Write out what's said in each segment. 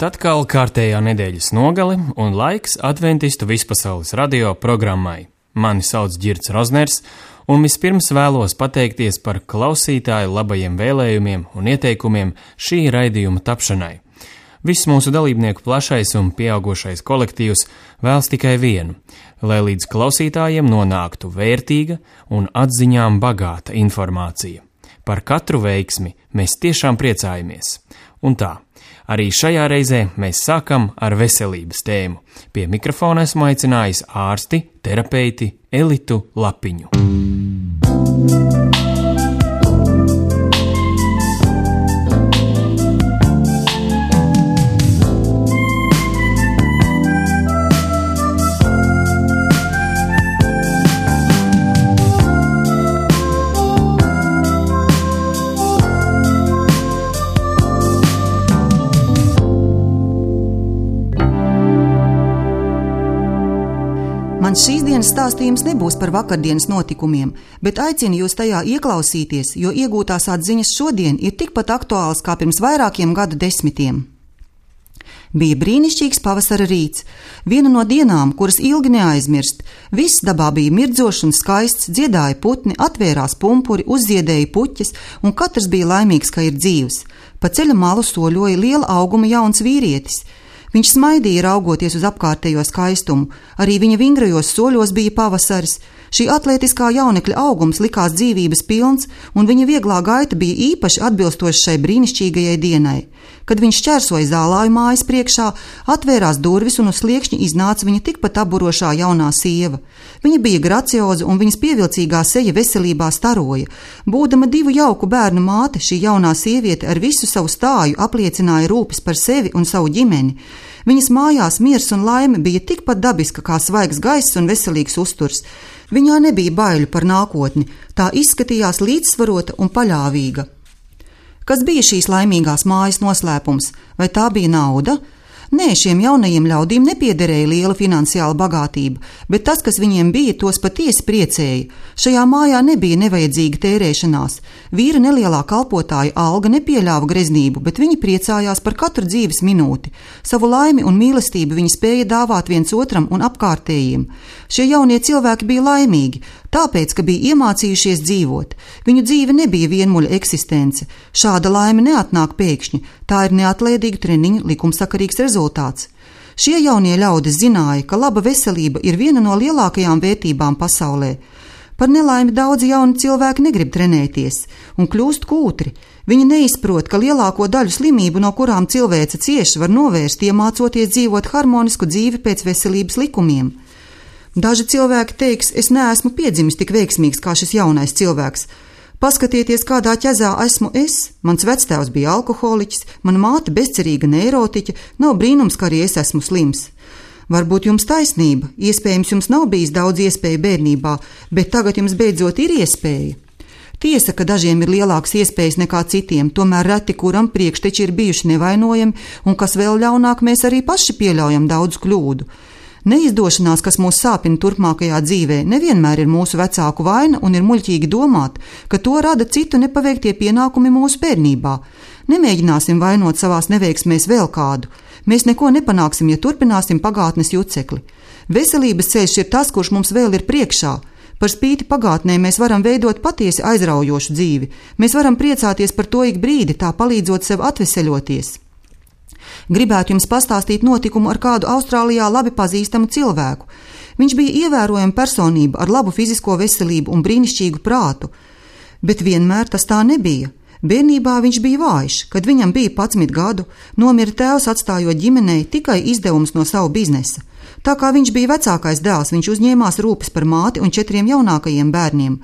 Klāt atkal kārtējā nedēļas nogale un laiks Adventistu vispasaules radio programmai. Mani sauc Ģirds Rozners, un vispirms vēlos pateikties par klausītāju labajiem vēlējumiem un ieteikumiem šī raidījuma tapšanai. Viss mūsu dalībnieku plašais un pieaugušais kolektīvs vēlas tikai vienu, lai līdz klausītājiem nonāktu vērtīga un atziņām bagāta informācija. Par katru veiksmi mēs tiešām priecājamies. Un tā, arī šajā reizē mēs sākam ar veselības tēmu. Pie mikrofona esmu aicinājis ārsti, terapeiti Elitu Lapiņu. Mans šīs dienas stāstījums nebūs par vakardienas notikumiem, bet aicinu jūs tajā ieklausīties, jo iegūtās atziņas šodien ir tikpat aktuāls kā pirms vairākiem gadu desmitiem. Bija brīnišķīgs pavasara rīts, viena no dienām, kuras ilgi neaizmirst. Viss dabā bija mirdzošs un skaists, dziedāja putni, atvērās pumpuri, uzziedēja puķes, un katrs bija laimīgs, ka ir dzīvs. Pa ceļa malu soļoja liela auguma jauns vīrietis. Viņš smaidīja raugoties uz apkārtējo skaistumu, arī viņa vingrajos soļos bija pavasaris. Šī atlētiskā jaunekļa augums likās dzīvības pilns, un viņa vieglā gaita bija īpaši atbilstoša šai brīnišķīgajai dienai. Kad viņš šķērsoja zālāju mājas priekšā, atvērās durvis un uz sliekšņa iznāca viņa tikpat aburošā jaunā sieva. Viņa bija gracioza un viņas pievilcīgā seja veselībā staroja. Būdama 2 jauku bērnu māte, šī jaunā sieviete ar visu savu stāju apliecināja rūpes par sevi un savu ģimeni. Viņas mājās miers un laime bija tikpat dabiska kā svaigs gaiss un veselīgs uzturs. Viņā nebija baiļu par nākotni, tā izskatījās līdzsvarota un paļāvīga. Kas bija šīs laimīgās mājas noslēpums? Vai tā bija nauda? Nē, šiem jaunajiem ļaudīm nepiederēja liela finansiāla bagātība, bet tas, kas viņiem bija, tos patiesi priecēja. Šajā mājā nebija nevajadzīga tērēšanās. Vīra nelielā kalpotāja alga nepieļāva greznību, bet viņi priecājās par katru dzīves minūti. Savu laimi un mīlestību viņi spēja dāvāt viens otram un apkārtējiem. Šie jaunie cilvēki bija laimīgi, tāpēc, ka bija iemācījušies dzīvot. Viņu dzīve nebija vienmuļa eksistence. Šāda laime neatnāk pēkšņi, tā ir neatlēdīgu treniņu likumsakarīgs rezultāts. Šie jaunie ļaudis zināja, ka laba veselība ir viena no lielākajām vērtībām pasaulē. Par nelaimi daudzi jauni cilvēki negrib trenēties un kļūst kūtri. Viņi neizprot, ka lielāko daļu slimību, no kurām cilvēce cieš, var novērst, iemācoties dzīvot harmonisku dzīvi pēc veselības likumiem. Daži cilvēki teiks, es neesmu piedzimis tik veiksmīgs kā šis jaunais cilvēks. Paskatieties, kādā ķezā esmu es. Mans vectēvs bija alkoholiķis, mana māte bezcerīga neirotiķa, nav brīnums, ka arī es esmu slims. Varbūt jums taisnība, iespējams jums nav bijis daudz iespēju bērnībā, bet tagad jums beidzot ir iespēja. Tiesa, ka dažiem ir lielākas iespējas nekā citiem, tomēr reti kuram priekšteči ir bijuši nevainojami, un kas vēl ļaunāk, mēs arī paši pieļaujam daudz kļūdu. Neizdošanās, kas mūs sāpina turpmākajā dzīvē, nevienmēr ir mūsu vecāku vaina un ir muļķīgi domāt, ka to rada citu nepaveiktie pienākumi mūsu bērnībā. Nemēģināsim vainot savās neveiksmēs vēl kādu. Mēs neko nepanāksim, ja turpināsim pagātnes jucekli. Veselības ceļš ir tas, kurš mums vēl ir priekšā. Par spīti pagātnē mēs varam veidot patiesi aizraujošu dzīvi. Mēs varam priecāties par to ik brīdi, tā palīdzot sev atveseļoties. Gribētu jums pastāstīt notikumu ar kādu Austrālijā labi pazīstamu cilvēku. Viņš bija ievērojama personība ar labu fizisko veselību un brīnišķīgu prātu, bet vienmēr tas tā nebija. Bērnībā viņš bija vājš, kad viņam bija 11 gadu, nomira tēvs atstājot ģimenei tikai izdevums no savu biznesa. Tā kā viņš bija vecākais dēls, viņš uzņēmās rūpes par māti un 4 jaunākajiem bērniem.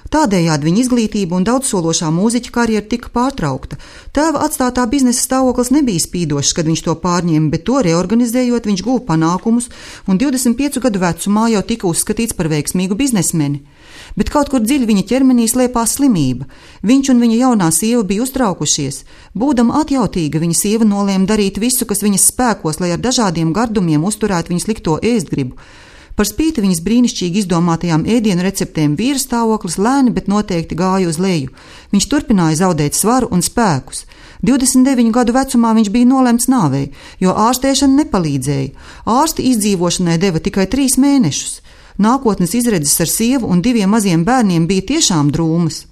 Tādējādi viņa izglītība un daudzsološā mūziķa karjera tika pārtraukta. Tēva atstātā biznesa stāvoklis nebija spīdošs, kad viņš to pārņēma, bet to reorganizējot viņš guva panākumus un 25 gadu vecumā jau tika uzskatīts par veiksmīgu biznesmeni. Bet kaut kur dziļi viņa ķermenī slēpās slimība. Viņš un viņa jaunā sieva bija uztraukušies. Būdama atjautīga, viņa sieva nolēma darīt visu, kas viņas spēkos, lai ar dažādiem gardumiem uzturētu viņas likto ēstgribu. Par spīti viņas brīnišķīgi izdomātajām ēdienu receptēm vīra stāvoklis lēni, bet noteikti gāja uz leju. Viņš turpināja zaudēt svaru un spēkus. 29 gadu vecumā viņš bija nolemts nāvei, jo ārstēšana nepalīdzēja. Ārsti izdzīvošanai deva tikai 3 mēnešus. Nākotnes izredzes ar sievu un 2 maziem bērniem bija tiešām drūmas.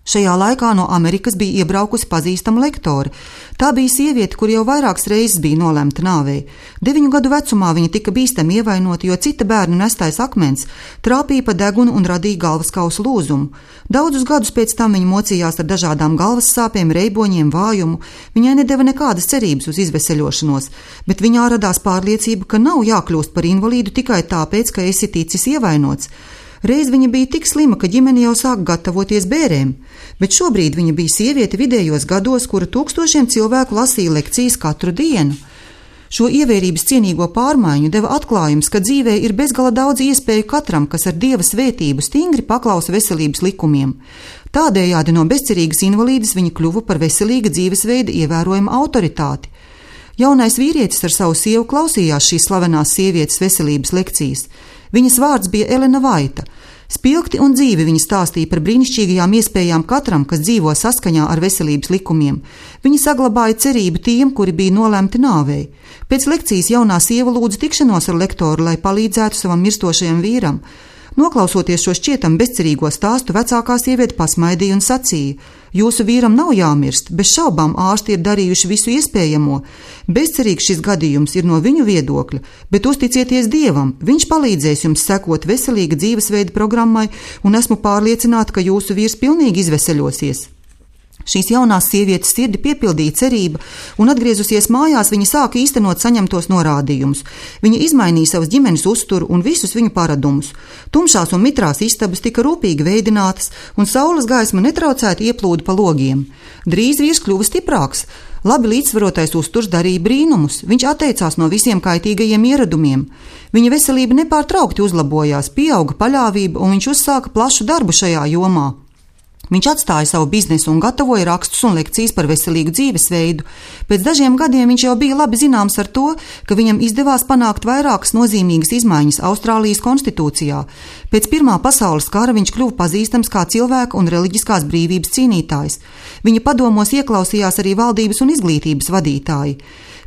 Šajā laikā no Amerikas bija iebraukusi pazīstama lektore. Tā bija sieviete, kur jau vairākas reizes bija nolemta nāvei. 9 gadu vecumā viņa tika bīstami ievainota, jo cita bērnu nestais akmens trāpīja pa degunu un radīja galvaskausa lūzumu. Daudzus gadus pēc tam viņa mocījās ar dažādām galvas sāpēm, reiboņiem, vājumu. Viņai nedeva nekādas cerības uz izveseļošanos, bet viņā radās pārliecība, ka nav jākļūst par invalīdu tikai tāpēc, ka esi ticis ievainots. Reiz viņa bija tik slima, ka ģimene jau sāka gatavoties bērēm, bet šobrīd viņa bija sieviete vidējos gados, kura tūkstošiem cilvēku lasīja lekcijas katru dienu. Šo ievērības cienīgo pārmaiņu deva atklājums, ka dzīvē ir bezgala daudz iespēju katram, kas ar Dieva svētību stingri paklausa veselības likumiem. Tādējādi no bezcerīgas invalīdes viņa kļuva par veselīga dzīvesveida ievērojumu autoritāti. Jaunais vīrietis ar savu sievu klausījās šīs slavenās sievietes veselības lekcijas. Viņas vārds bija Elena Vaita. Spilgti un dzīvi viņa stāstīja par brīnišķīgajām iespējām katram, kas dzīvo saskaņā ar veselības likumiem. Viņa saglabāja cerību tiem, kuri bija nolemti nāvei. Pēc lekcijas jaunā sieva lūdza tikšanos ar lektoru, lai palīdzētu savam mirstošajam vīram. Noklausoties šo šķietam bezcerīgo stāstu, vecākā sieviete pasmaidīja un sacīja: Jūsu vīram nav jāmirst, bez šaubām ārsti ir darījuši visu iespējamo. Bezcerīgs šis gadījums ir no viņu viedokļa, bet uzticieties Dievam, viņš palīdzēs jums sekot veselīga dzīvesveida programmai, un esmu pārliecināta, ka jūsu vīrs pilnīgi izveseļosies. Šīs jaunās sievietes sirdi piepildīja cerība, un atgriezusies mājās, viņa sāka īstenot saņemtos norādījumus. Viņa izmainīja savas ģimenes uzturu un visus viņu paradumus. Tumšās un mitrās istabas tika rūpīgi veidinātas, un saules gaisma netraucēti ieplūda pa logiem. Drīz vīrs kļuva stiprāks. Labi līdzsvarotais uzturs darīja brīnumus. Viņš atteicās no visiem kaitīgajiem ieradumiem. Viņa veselība nepārtraukti uzlabojās, pieauga paļāvība, un viņš uzsāka plašu darbu šajā jomā. Viņš atstāja savu biznesu un gatavoja rakstus un lekcijas par veselīgu dzīvesveidu. Pēc dažiem gadiem viņš jau bija labi zināms ar to, ka viņam izdevās panākt vairākas nozīmīgas izmaiņas Austrālijas konstitūcijā. Pēc Pirmā pasaules kara viņš kļuva pazīstams kā cilvēka un reliģiskās brīvības cīnītājs. Viņa padomos ieklausījās arī valdības un izglītības vadītāji.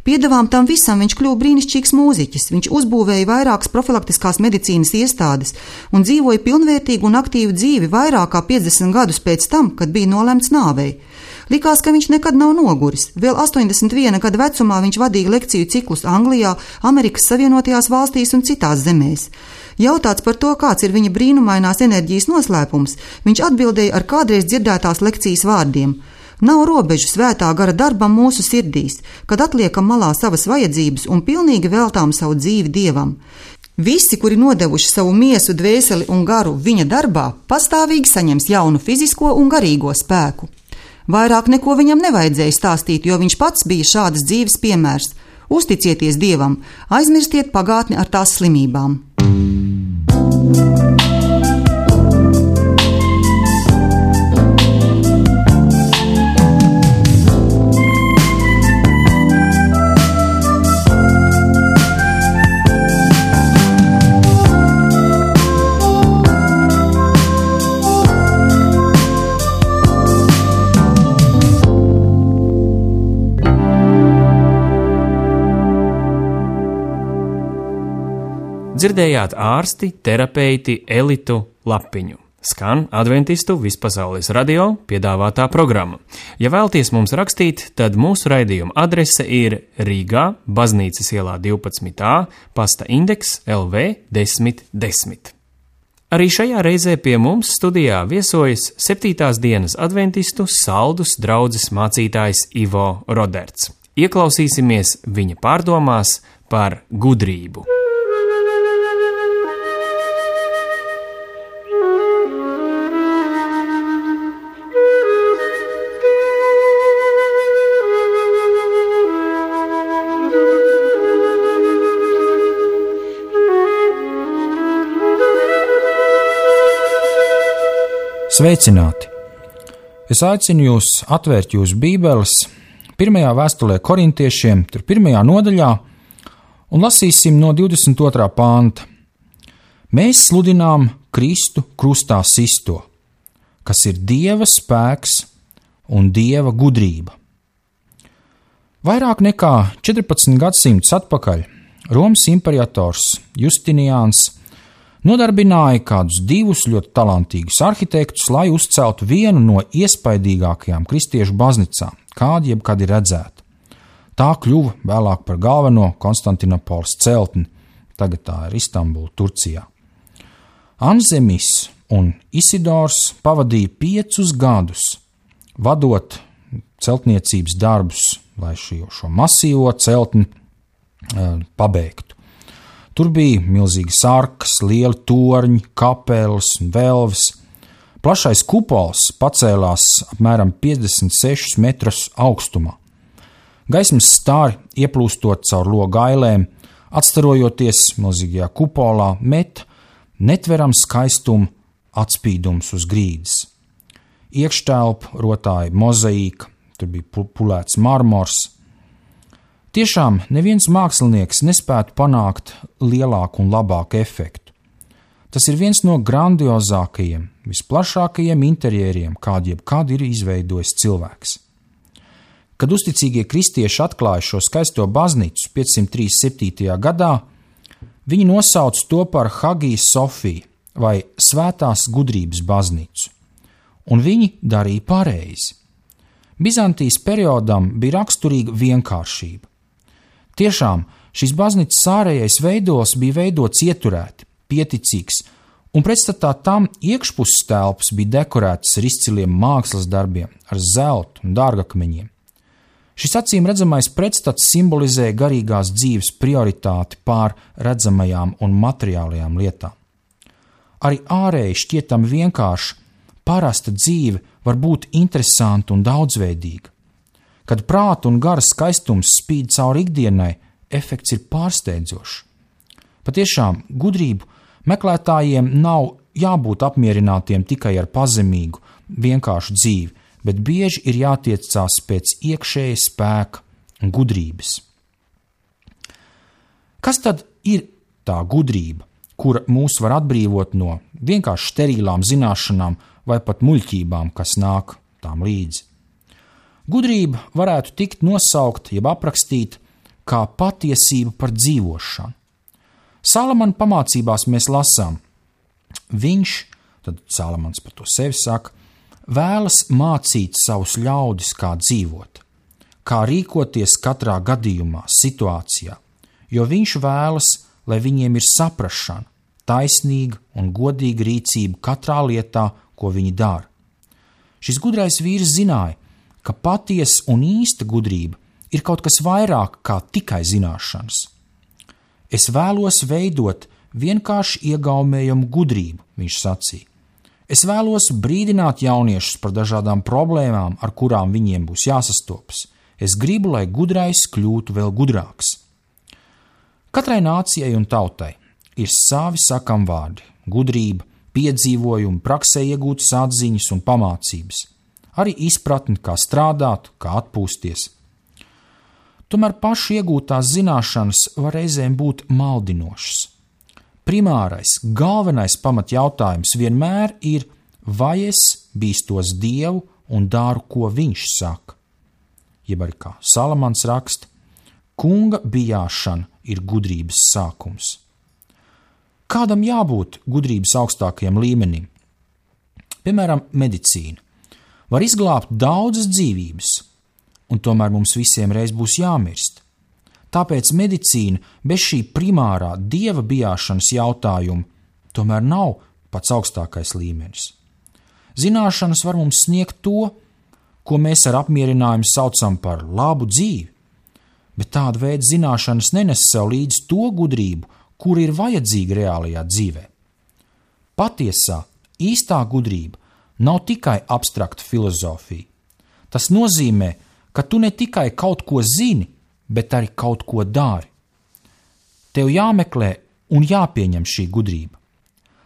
Piedevām tam visam viņš kļuva brīnišķīgs mūziķis. Viņš uzbūvēja vairākas profilaktiskās medicīnas iestādes un dzīvoja pilnvērtīgu un aktīvu dzīvi vairāk kā 50 gadus pēc tam, kad bija nolemts nāvei. Likās, ka viņš nekad nav noguris. Vēl 81 gada vecumā viņš vadīja lekciju ciklus Anglijā, Amerikas Savienotajās valstīs un citās zemēs. Jautāts par to, kāds ir viņa brīnumainās enerģijas noslēpums, viņš atbildēja ar kādreiz dzirdētās lekcijas vārdiem: Nav robežu svētā gara darbam mūsu sirdīs, kad atliekam malā savas vajadzības un pilnīgi veltām savu dzīvi Dievam. Visi, kuri nodevuši savu miesu, dvēseli un garu viņa darbā, pastāvīgi saņems jaunu fizisko un garīgo spēku. Vairāk neko viņam nevajadzēja stāstīt, jo viņš pats bija šādas dzīves piemērs. Uzticieties Dievam, aizmirstiet pagātni ar tās slimībām. Dzirdējāt ārsti, terapeiti Elitu Lapiņu. Skan Adventistu Vispasaules radio piedāvātā programma. Ja vēlties mums rakstīt, tad mūsu raidījuma adrese ir Rīgā, Baznīcas ielā 12a, pasta indeks LV 1010. Arī šajā reizē pie mums studijā viesojas 7. dienas adventistu Saldus draudzes mācītājs Ivo Roderts. Ieklausīsimies viņa pārdomās par gudrību. Sveicināti! Es aicinu jūs atvērt jūsu bībeles pirmajā vēstulē korintiešiem, tur 1. nodaļā, un lasīsim no 22. panta. Mēs sludinām Kristu krustā sisto, kas ir Dieva spēks un Dieva gudrība. Vairāk nekā 14 gadsimtus atpakaļ Romas imperators Justiniāns nodarbināja kādus 2 ļoti talantīgus arhitektus, lai uzceltu vienu no iespaidīgākajām kristiešu baznīcām, kāda jebkad ir redzēta. Tā kļuva vēlāk par galveno Konstantinopoles celtni, tagad tā ir Istambula, Turcijā. Anzemis un Isidors pavadīja 5 gadus, vadot celtniecības darbus, lai šo masīvo celtni pabeigtu. Tur bija milzīgas arkas, lieli torņi, kapeles un velves. Plašais kupols pacēlās apmēram 56 metrus augstumā. Gaismas stāri, ieplūstot caur logu ailēm, atstarojoties milzīgajā kupolā, met netveram skaistumu atspīdums uz grīdas. Iekštelpu rotāja mozaīka, tur bija pulēts marmors. Tiešām neviens mākslinieks nespētu panākt lielāku un labāku efektu. Tas ir viens no grandiozākajiem, visplašākajiem interjeriem, kādu jebkad ir izveidojis cilvēks. Kad uzticīgie kristieši atklāja šo skaisto baznīcu 537. gadā, viņi nosauca to par Hagiju Sofiju vai Svētās gudrības baznīcu, un viņi darīja pareizi. Bizantijas periodam bija raksturīga vienkāršība. Tiešām šīs baznīcas ārējais veidols bija veidots ieturēti, pieticīgs, un pretstatā tam iekšpuses telpas bija dekorētas ar izciliem mākslas darbiem, ar zeltu un dārgakmeņiem. Šis acīm redzamais pretstats simbolizē garīgās dzīves prioritāti pār redzamajām un materiālajām lietām. Arī ārēji šķietami vienkārši parasta dzīve var būt interesanta un daudzveidīga. Kad prāta un gara skaistums spīd cauri ikdienai, efekts ir pārsteidzošs. Patiešām gudrību meklētājiem nav jābūt apmierinātiem tikai ar pazemīgu, vienkāršu dzīvi, bet bieži ir jātiecās pēc iekšēja spēka un gudrības. Kas tad ir tā gudrība, kura mūs var atbrīvot no vienkārši sterilām zināšanām vai pat muļķībām, kas nāk tām līdzi? Gudrība varētu tikt nosaukt jeb aprakstīt kā patiesība par dzīvošanu. Salamana pamācībās mēs lasām, viņš, tad Salamans par to sevi saka, vēlas mācīt savus ļaudis, kā dzīvot, kā rīkoties katrā gadījumā, situācijā, jo viņš vēlas, lai viņiem ir saprašana, taisnīga un godīga rīcība katrā lietā, ko viņi dara. Šis gudrais vīrs zināja, ka patiesa un īsta gudrība ir kaut kas vairāk kā tikai zināšanas. Es vēlos veidot vienkārši iegaumējumu gudrību, viņš sacīja. Es vēlos brīdināt jauniešus par dažādām problēmām, ar kurām viņiem būs jāsastopas. Es gribu, lai gudrais kļūtu vēl gudrāks. Katrai nācijai un tautai ir savi sakamvārdi, gudrība, piedzīvojumi, praksē iegūtas atziņas un pamācības, arī izpratni, kā strādāt, kā atpūsties. Tomēr pašu iegūtās zināšanas var reizēm būt maldinošas. Primārais, galvenais pamatjautājums vienmēr ir, vai es bīstos Dievu un daru, ko viņš saka. Jeb arī kā Salamans raksta, kunga bijāšana ir gudrības sākums. Kādam jābūt gudrības augstākajam līmenim? Piemēram, medicīna var izglābt daudzas dzīvības, un tomēr mums visiem reiz būs jāmirst. Tāpēc medicīna bez šī primārā dieva bijāšanas jautājuma tomēr nav pats augstākais līmenis. Zināšanas var mums sniegt to, ko mēs ar apmierinājumu saucam par labu dzīvi, bet tāda veida zināšanas nenes sev līdzi to gudrību, kur ir vajadzīga reālajā dzīvē. Patiesā, īstā gudrība nav tikai abstrakta filozofija. Tas nozīmē, ka tu ne tikai kaut ko zini, bet arī kaut ko dari. Tev jāmeklē un jāpieņem šī gudrība.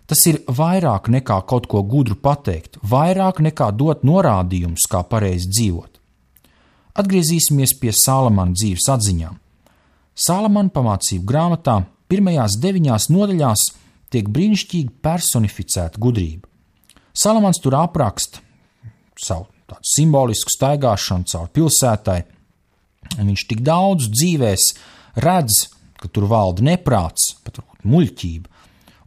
Tas ir vairāk nekā kaut ko gudru pateikt, vairāk nekā dot norādījumus, kā pareizi dzīvot. Atgriezīsimies pie Salamana dzīves atziņām. Salamana pamācību grāmatā pirmajās 9 nodaļās tiek brīnišķīgi personificēta gudrība. Salamans tur apraksta savu tādu simbolisku staigāšanu caur pilsētai, un viņš tik daudz dzīvēs redz, ka tur valda neprāts, pat muļķība,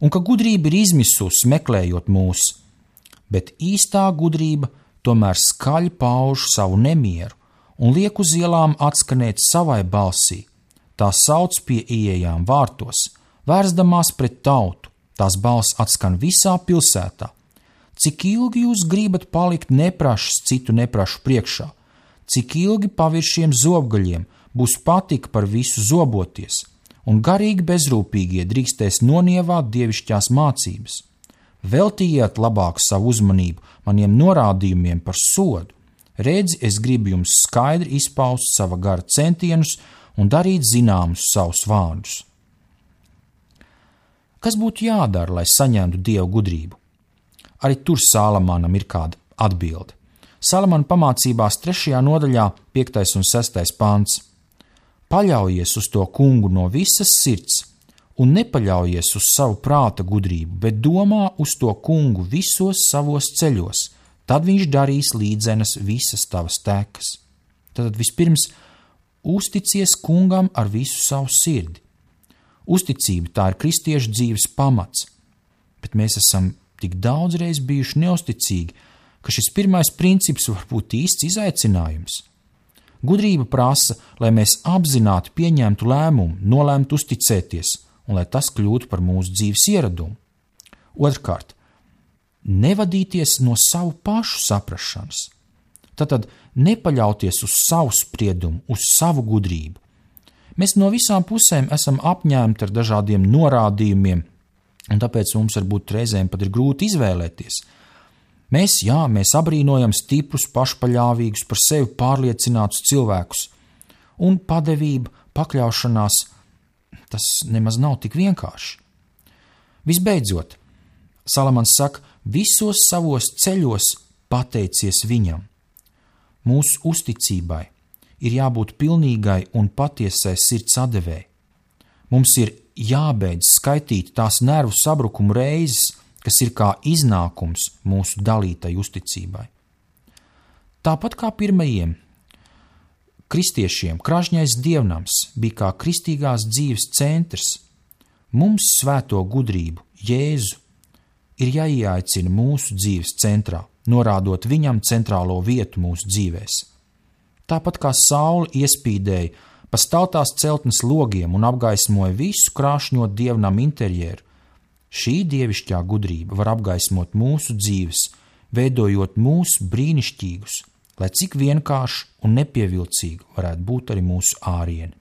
un ka gudrība ir izmisusi meklējot mūs, bet īstā gudrība tomēr skaļi pauž savu nemieru un liek uz ielām atskanēt savai balsī. Tā sauc pie ieejām vārtos, vērsdamās pret tautu, tās balss atskan visā pilsētā. Cik ilgi jūs gribat palikt neprašs citu neprašu priekšā? Cik ilgi paviršiem zobgaļiem būs patika par visu zoboties, un garīgi bezrūpīgie drīkstēs nonievāt dievišķās mācības? Veltījiet labāk savu uzmanību maniem norādījumiem par sodu. Redzi, es gribu jums skaidri izpaust sava gara centienus un darīt zināmus savus vārdus. Kas būtu jādara, lai saņemtu Dievu gudrību? Arī tur Salamanam ir kāda atbilde. Salamana pamācībās 3. nodaļā 5. un 6. pants. Paļaujies uz to kungu no visas sirds un nepaļaujies uz savu prāta gudrību, bet domā uz to kungu visos savos ceļos, tad viņš darīs līdzenas visas tavas tekas. Tad vispirms uzticies kungam ar visu savu sirdi. Uzticība tā ir kristiešu dzīves pamats, bet mēs esam tik daudzreiz bijuši neusticīgi, ka šis pirmais princips var būt īsts izaicinājums. Gudrība prasa, lai mēs apzināti pieņemtu lēmumu, nolēmtu uzticēties, un lai tas kļūtu par mūsu dzīves ieradumu. Otrkārt, nevadīties no savu pašu saprašanas. Tātad nepaļauties uz savu spriedumu, uz savu gudrību. Mēs no visām pusēm esam apņēmti ar dažādiem norādījumiem, un tāpēc mums varbūt reizēm pat ir grūti izvēlēties. Mēs abrīnojam stiprus, pašpaļāvīgus, par sevi pārliecinātus cilvēkus, un padevība, pakļaušanās, tas nemaz nav tik vienkārši. Visbeidzot, Salamans saka, visos savos ceļos pateicies viņam. Mūsu uzticībai ir jābūt pilnīgai un patiesai sirds atdevēji. Mums ir jābeidz skaitīt tās nervu sabrukumu reizes, kas ir kā iznākums mūsu dalītai uzticībai. Tāpat kā pirmajiem kristiešiem, Kražņais dievnams bija kā kristīgās dzīves centrs, mums svēto gudrību, Jēzu, ir jāieaicina mūsu dzīves centrā, norādot viņam centrālo vietu mūsu dzīvēs. Tāpat kā saule iespīdēja pa staltās celtnes logiem un apgaismoja visu krāšņo dievnam interjeru, šī dievišķā gudrība var apgaismot mūsu dzīves, veidojot mūs brīnišķīgus, lai cik vienkārši un nepievilcīgi varētu būt arī mūsu ārieni.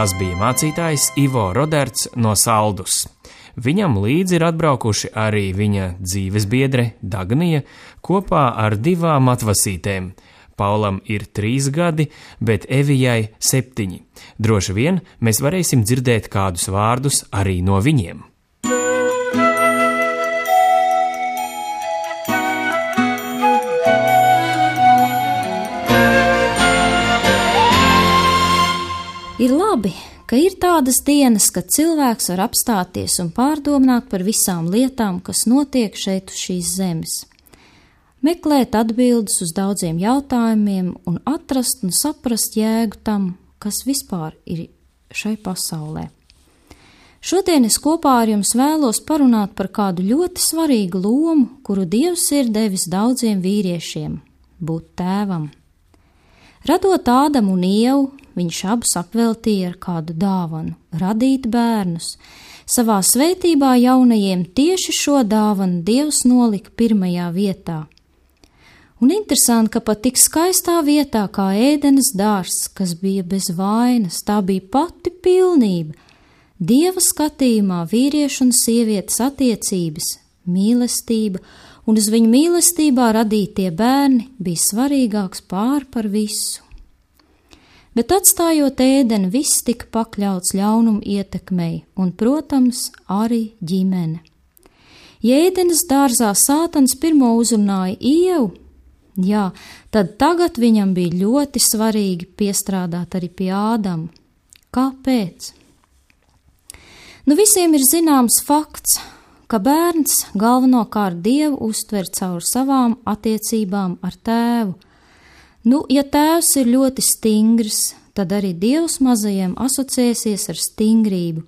Tas bija mācītājs Ivo Roderts no Saldus. Viņam līdzi ir atbraukuši arī viņa dzīvesbiedre Dagnija kopā ar 2 atvasītēm. Paulam ir 3 gadi, bet Evijai 7. Droši vien mēs varēsim dzirdēt kādus vārdus arī no viņiem. Ir labi, ka ir tādas dienas, kad cilvēks var apstāties un pārdomāt par visām lietām, kas notiek šeit uz šīs zemes. Meklēt atbildes uz daudziem jautājumiem un atrast un saprast jēgu tam, kas vispār ir šai pasaulē. Šodien es kopā ar jums vēlos parunāt par kādu ļoti svarīgu lomu, kuru Dievs ir devis daudziem vīriešiem – būt tēvam. Radot Ādamu un Ievu, viņš abus apveltīja ar kādu dāvanu – radīt bērnus. Savā svētībā jaunajiem tieši šo dāvanu Dievs nolika pirmajā vietā. Un interesanti, ka pat tik skaistā vietā kā Ēdenes dārzs, kas bija bez vainas, tā bija pati pilnība. Dieva skatījumā vīriešu un sievietes attiecības, mīlestība un uz viņu mīlestībā radītie bērni bija svarīgāks par visu. Bet atstājot ēdeni, viss tika pakļauts ļaunumu ietekmei un, protams, arī ģimene. Ja ēdenes dārzā Sātans pirmo uzrunāja Ievu, tad tagad viņam bija ļoti svarīgi piestrādāt arī pie Ādama. Kāpēc? Visiem ir zināms fakts, ka bērns galvenokārt Dievu uztver caur savām attiecībām ar tēvu. Ja tēvs ir ļoti stingrs, tad arī Dievs mazajiem asociēsies ar stingrību.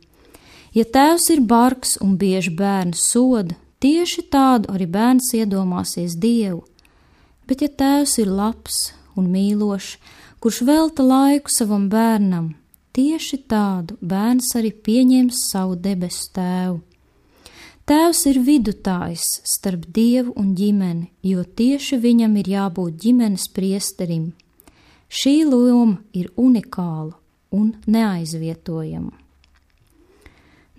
Ja tēvs ir bargs un bieži bērnu soda, tieši tādu arī bērns iedomāsies Dievu. Bet ja tēvs ir labs un mīlošs, kurš velta laiku savam bērnam, tieši tādu bērns arī pieņems savu debesu tēvu. Tēvs ir vidutājs starp Dievu un ģimeni, jo tieši viņam ir jābūt ģimenes priesterim. Šī loma ir unikāla un neaizvietojama.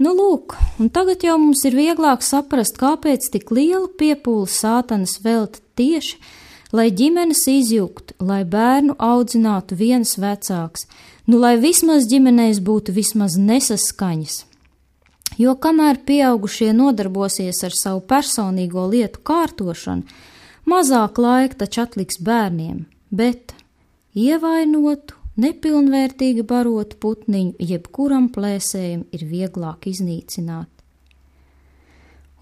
Lūk, un tagad jau mums ir vieglāk saprast, kāpēc tik liela piepūle Sātans velta tieši, lai ģimenes izjuktu, lai bērnu audzinātu viens vecāks, lai vismaz ģimenēs būtu vismaz nesaskaņas. Jo kamēr pieaugušie nodarbosies ar savu personīgo lietu kārtošanu, mazāk laika taču atliks bērniem, bet ievainotu, nepilnvērtīgi barotu putniņu jebkuram plēsējam ir vieglāk iznīcināt.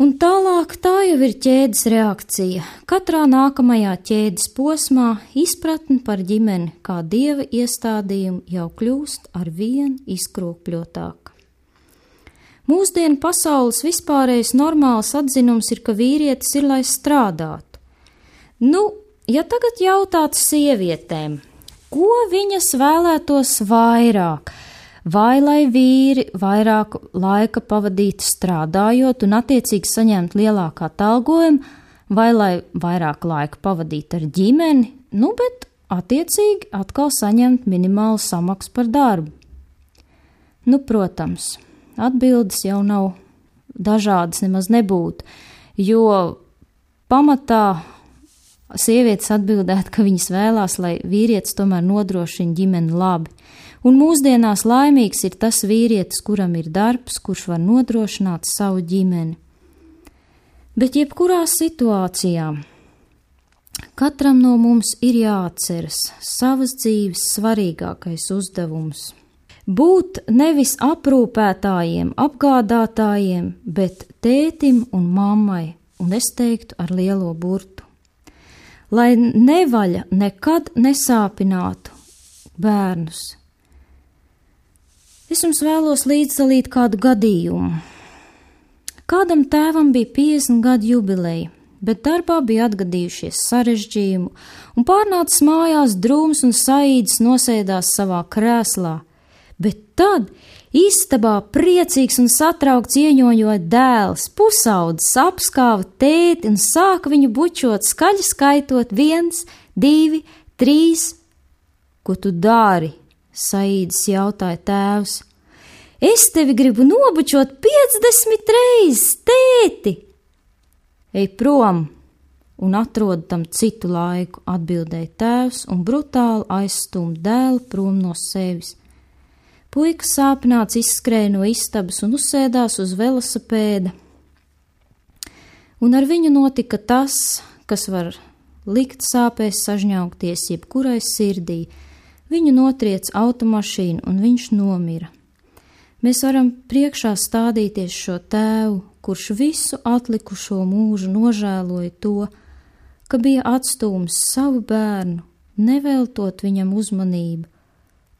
Un tālāk tā jau ir ķēdes reakcija. Katrā nākamajā ķēdes posmā izpratne par ģimeni kā Dieva iestādījumu jau kļūst ar vien izkropļotāka. Mūsdienu pasaules vispārējais normāls atzinums ir, ka vīrietis ir, lai strādātu. Ja tagad jautātu sievietēm, ko viņas vēlētos vairāk? Vai lai vīri vairāk laika pavadītu strādājot un attiecīgi saņemt lielāku atalgojumu, vai lai vairāk laika pavadītu ar ģimeni, bet attiecīgi atkal saņemt minimālu samaksu par darbu? Protams, atbildes jau nav dažādas, nemaz nebūtu, jo pamatā sievietes atbildētu, ka viņas vēlās, lai vīrietis tomēr nodrošina ģimeni labi. Un mūsdienās laimīgs ir tas vīrietis, kuram ir darbs, kurš var nodrošināt savu ģimeni. Bet jebkurā situācijā katram no mums ir jāatceras savas dzīves svarīgākais uzdevums. Būt nevis aprūpētājiem, apgādātājiem, bet tētim un mammai, un es teiktu ar lielo burtu. Lai nevaļa nekad nesāpinātu bērnus. Es jums vēlos līdzdalīt kādu gadījumu. Kādam tēvam bija 50 gadu jubileja, bet darbā bija atgadījušies sarežģījumu, un pārnācis mājās drūms un saīdis nosēdās savā krēslā. Bet tad istabā priecīgs un satraukts ieņoņoja dēls, pusaudzis, apskāva tēti un sāka viņu bučot, skaļi skaitot 1, 2, 3. Ko tu dari? Saīdis jautāja tēvs. Es tevi gribu nobučot 50 reizes, tēti! Ej prom un atrod tam citu laiku, atbildēja tēvs un brutāli aizstumj dēlu prom no sevis. Puika sāpināts izskrēja no istabas un uzsēdās uz velosipēda. Un ar viņu notika tas, kas var likt sāpēs sažņaugties jebkurai sirdī. Viņu notriec automašīna un viņš nomira. Mēs varam priekšā stādīties šo tēvu, kurš visu atlikušo mūžu nožēloja to, ka bija atstūmis savu bērnu, neveltot viņam uzmanību,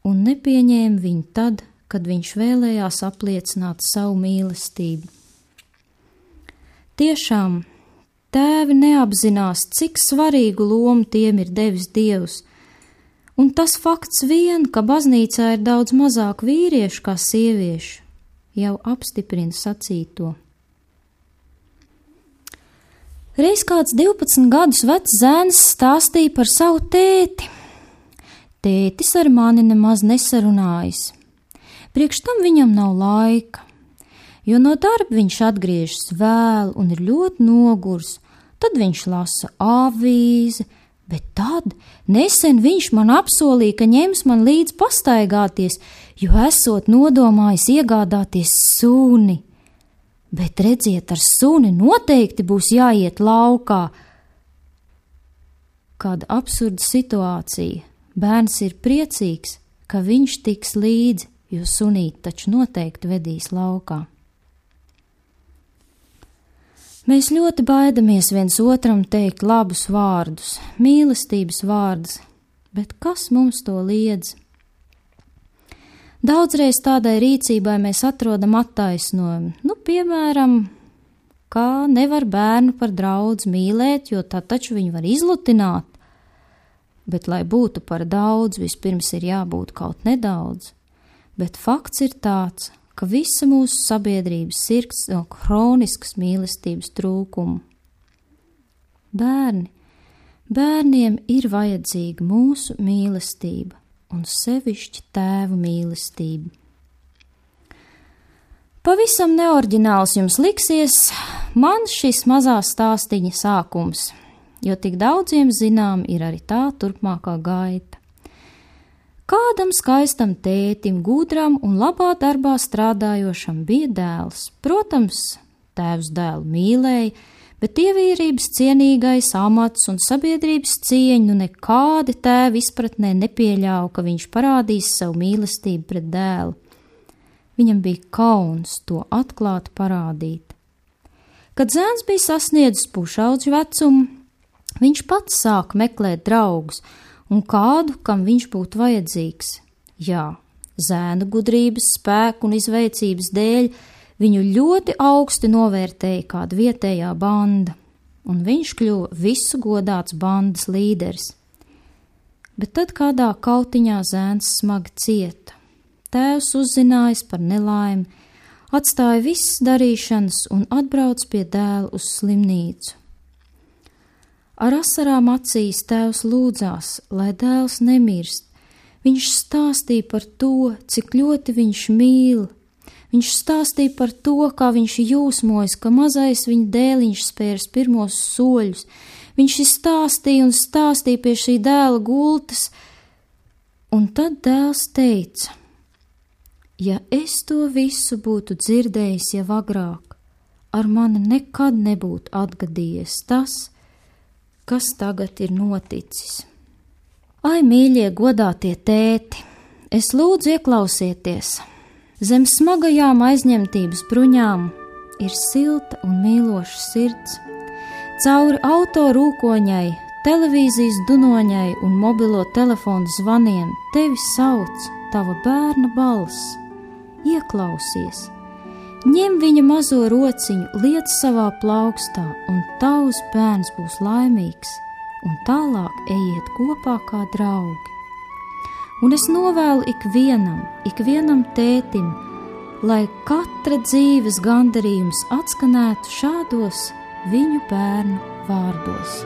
un nepieņēma viņu tad, kad viņš vēlējās apliecināt savu mīlestību. Tiešām, tēvi neapzinās, cik svarīgu lomu tiem ir devis Dievs, un tas fakts vien, ka baznīcā ir daudz mazāk vīriešu kā sieviešu, jau apstiprina sacīto. Reiz kāds 12 gadus vecs zēns stāstīja par savu tēti. Tētis ar mani nemaz nesarunājas. Priekš tam viņam nav laika, jo no darba viņš atgriežas vēl un ir ļoti nogurs. Tad viņš lasa avīzi, bet tad nesen viņš man apsolīja, ka ņems man līdz pastaigāties, jo esot nodomājis iegādāties suni. Bet redziet, ar suni noteikti būs jāiet laukā. Kāda absurda situācija. Bērns ir priecīgs, ka viņš tiks līdzi, jo sunīt taču noteikti vedīs laukā. Mēs ļoti baidamies viens otram teikt labus vārdus, mīlestības vārdus, bet kas mums to liedz? Daudzreiz tādai rīcībai mēs atrodam attaisnojumu, piemēram, kā nevar bērnu par draudz mīlēt, jo tā taču viņu var izlutināt, bet, lai būtu par daudz, vispirms ir jābūt kaut nedaudz, bet fakts ir tāds, ka visa mūsu sabiedrības sirds no hroniskas mīlestības trūkumu. Bērniem ir vajadzīga mūsu mīlestība un sevišķi tēvu mīlestība. Pavisam neoriģināls jums liksies man šis mazā stāstiņa sākums, jo tik daudziem zinām ir arī tā turpmākā gaita. Kādam skaistam tētim, gudram un labā darbā strādājošam bija dēls. Protams, tēvs dēlu mīlēja, bet ievērības cienīgais amats un sabiedrības cieņu nekādi tēvi izpratnē nepieļāva, ka viņš parādīs savu mīlestību pret dēlu. Viņam bija kauns to atklāt parādīt. Kad zēns bija sasniedzis pušaudžu vecumu, viņš pats sāka meklēt draugus un kādu, kam viņš būtu vajadzīgs. Jā, zēna gudrības, spēku un izveicības dēļ viņu ļoti augsti novērtēja kāda vietējā banda, un viņš kļuva visu godāts bandas līderis. Bet tad kādā kautiņā zēns smagi cieta. Tēvs uzzinājis par nelaimi, atstāja visas darīšanas un atbrauc pie dēla uz slimnīcu. Ar asarām acīs tēvs lūdzās, lai dēls nemirst. Viņš stāstīja par to, cik ļoti viņš mīl. Viņš stāstīja par to, kā viņš jūsmojas, ka mazais viņa dēliņš spērs pirmos soļus. Viņš stāstīja un stāstīja pie šī dēla gultas, un tad dēls teica: ja es to visu būtu dzirdējis jau agrāk, ar mani nekad nebūtu atgadījies tas, kas tagad ir noticis. Ai, mīļie, godātie tēti, es lūdzu ieklausieties! Zem smagajām aizņemtības bruņām ir silta un mīloša sirds. Cauri auto rūkoņai, televīzijas dunoņai un mobilo telefonu zvaniem tevi sauc tava bērna balss. Ieklausies, ņem viņa mazo rociņu, liec savā plaukstā, un tavs bērns būs laimīgs, un tālāk ejiet kopā kā draugi. Un es novēlu ikvienam tētim, lai katra dzīves gandarījums atskanētu šādos viņu bērnu vārdos.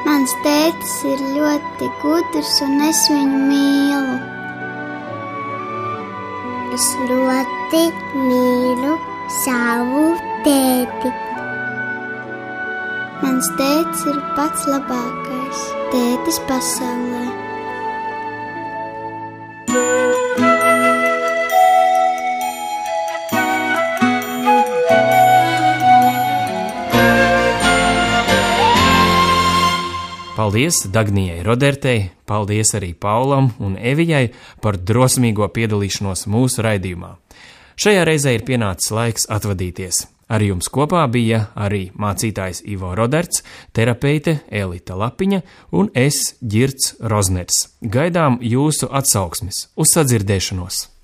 Mans tētis ir ļoti gudrs, un es viņu mīlu. Es ļoti mīlu savu tēti. Mans tētis ir pats labākais tētis pasaulē. Paldies Dagnijai Rodertei, paldies arī Paulam un Evijai par drosmīgo piedalīšanos mūsu raidījumā. Šajā reizē ir pienācis laiks atvadīties. Ar jums kopā bija arī mācītājs Ivo Roderts, terapeite Elita Lapiņa un es, Ģirts Rozners. Gaidām jūsu atsauksmes. Uz sadzirdēšanos!